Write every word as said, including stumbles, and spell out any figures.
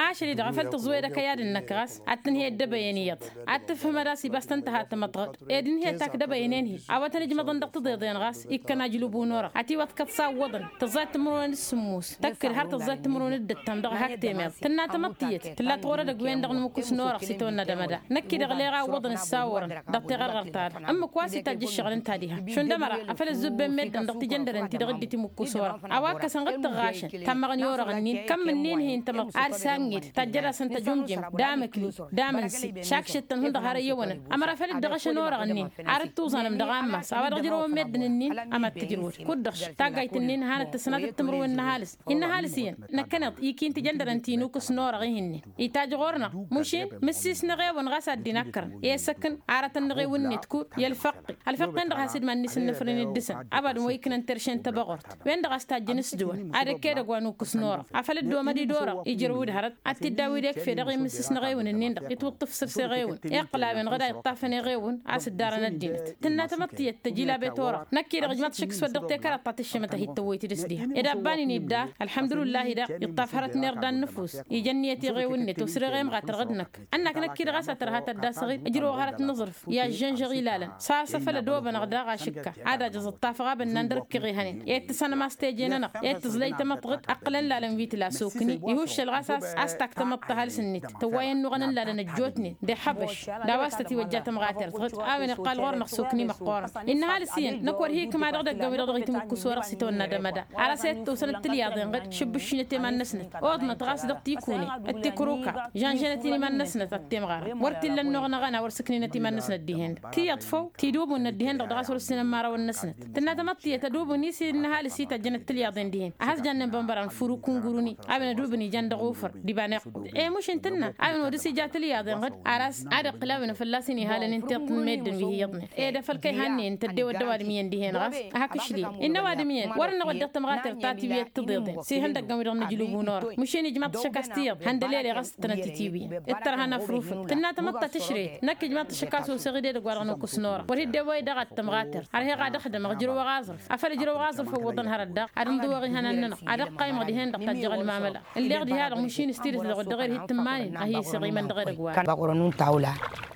Ašăl-i-dăɣ a făl tǝẓẓu edăkăy ad-ǝnnăk ɣas ad-tǝnhǝy ăddăbăyăn iyyăḍ ad-tǝfhǝmăd a-s ibas tăn-tăha tamăḍt ɣǝd ed ǝnhǝyăt akdăbăyăn enhǝy a-wa tăn-ǝjmăḍăn dăɣ-tiḍeḍen ɣas ikkăn ajǝlub n-orăɣ ătiwăḍkăt s-awwăḍăn tǝẓẓayăt timǝrwen d-sǝmmus tăkk-dd har tǝẓẓayăt timǝrwen d-ǝttam dăɣ-hak temeḍ tǝnna tamăḍt iyyăt tǝlla tiɣurăd ăgg-wen-dăɣ n-imǝkkus n-orăɣ s-itawănna d-amăda năkk-i-dăɣ leɣ a ǝwwăḍăn ǝssawărăn dăɣ-teɣărɣărt-ta-dăɣ ǝmmǝk wa s-itajj ǝššăɣǝl ǝnta diha šund ămăra a făl ǝzzubben meddǝn dăɣ-tijăndăren ti-dăɣ dd-timǝkkus orăɣ a-wa ǝkkăsăn ɣǝd tǝɣɣašăn tammăɣăn i-orăɣ-ǝnnin kămm-ǝnnin hin-tamăḍt ad-sanŋed tajjăd-asăn tăjumjǝm d-amǝkli d-amǝnsi šakšet-tăn hundăɣ har ăyyăwănăn ămăra făl dd-ăɣšăn orăɣ-ǝnnin ar ǝttuẓanăm dăɣ-ammas a-wa dăɣ-ǝjrăwăn meddǝn-ǝnnin ămattǝjrǝwăd kud-dăɣ taggayt-ǝnnin a hanăt-tǝsnat d-timǝrwen n-ăhalǝs innă ăhalǝs iyyăn năkkăneḍ ikinti jăndărăn ti nukǝs n-orăɣ ihǝnnen itajj ɣur-năɣ mušin mǝssis n-eɣewăn ɣas ad-dd-inakkărăn i-asăkkăn aratăn n-eɣewăn-net kud i-ălfăqqi ălfăqqi-en-dăɣ has-dd-mannǝsǝnnăfrăn d-dăɣ-săn ăbadăn wa iknăn terše n-tăbăɣurt wen-dăɣ a-s tajjăn s-dăwăn ad-ăkk edăgg wa nukǝs n-orăɣ afăl dd-omăd-dd orăɣ ijrăw-dd hărăt ad-t-dd-awǝy d-ekf edăɣ imǝssǝs n-eɣewăn-ǝnnin-dăɣ itwǝṭṭǝf săr s-eɣewăn iqqǝl a-wen ɣǝd a iṭṭafăn eɣewăn a-s dd-arăn ăddinăt tǝnna tamăḍt tiyyăt tăjilabet orăɣ năkk-i-dăɣ ǝjmaḍ šik s-wăr dăɣ-tekerăḍt ta tǝššǝmăt ad-hi-tăwwăy tidǝs diha ed abban-in idda ălḥămdulǝllah-i daɣ iṭṭaf hărăt n-irda n-nǝfus ija ǝnniyăt i-eɣewăn-net osăr eɣemɣa tărɣǝd năkk ănnak năkk-i-dăɣ a-s a tărha tădda s-aɣil ǝjrăwăɣ hărăt n-aẓrǝf i-ažžănžăɣ ilalăn s-a-s a făl ădobănăɣ daɣ ašǝkka ad-ajǝẓ ǝṭṭafăɣ a bănnan dăr-ǝkkǝɣ ihănen i-tǝsănăm a-s teje-nănăɣ i-tǝẓlăy tamăḍt ɣǝd ǝqqǝlăn lalăn wi tǝla sokni ihuššăl ɣas a-s a-s tak tamăḍt ăhalǝs-net tăwway ănnuɣăn n-lalăn ăjjootnen d-iḥăbăš d-a-wa s-tătiwăjja tămɣatert ɣǝd a-wen iqqal ɣur-năɣ sokni măqqoorăn innă ăhalǝs iyyăn năkk wăr hi-ikma dăɣ-idăggan wi-dăɣ dăɣ-itimǝkkus orăɣ s-itawănna d-amăda ar ăsayăt tosăn d-tǝlyaḍen ɣǝd šǝbbǝššǝnăt i-iman-năsnăt oḍnăt ɣas dăɣ-tikune d-tikruka žănžănăt-in iman-năsnăt ad-temɣarăn wăr t-illa ănnuɣ n-aɣăna wăr sǝkninăt iman-năsnăt dihen-dăɣ tiyyăḍ făw tidubǝnnăt dihen-dăɣ dăɣ-a-s wăr ǝssinăn imărawăn-năsnăt tǝnna tamăḍt tiyyăt ădubǝn-i s-innă ăhalǝs itajjănăt tǝlyaḍen dihen a has-jannen bănbăran furuk n-guruni a-wen ădubǝn ijan dăɣ-ufăr d-iba n-iqqǝm e-mušǝn tǝnna a-wen wăr dăr-s ija tǝlyaḍen ɣǝd ar a-s ad-iqqǝl a-wen afălla-s inihalăn n-tiṭṭ n-meddǝn wi hi-iyyăḍnen ed afăl kăy-hannen tăddew ăddăwad miyăn dihen ɣas hak ǝšlil innă ăwadǝm iyyăn wăr-ănnăɣ wădden tamɣatert ta tiwǝyăt tǝḍeḍen s-ihăndăgg a-wi-dăɣ n-ajǝlub n-orăɣ măšin ijmaḍ-t šăkk a-s tiyyăḍ hăndălele ɣas tănăt-itiwǝyăn d-tărha n-afrufăn tǝnna tamăḍt ta tǝšreyăt năkk ijmaḍ-t šăkk a-s oseɣ-dd edăgg-wa-dăɣ nukǝs n-orăɣ wăr hi-dd-ewăy daɣ ad-tămɣater ărheɣ ad-ăxdămăɣ ǝjrăwăɣ aẓrǝf afăl ǝjrăwăɣ aẓrǝf ăwwăḍăn hărăt daɣ ad-ǝnḍǝwăɣ ihănan-nănăɣ ad-ăqqaymăɣ dihen-dăɣ tajjăɣ ălmamăla ǝlleɣ diha-dăɣ măšin s-tidǝt dăɣ-wăr dăɣ-ed hi-tǝmmanen a hi-isăɣimăn dăɣ-edăgg wa-dăɣ.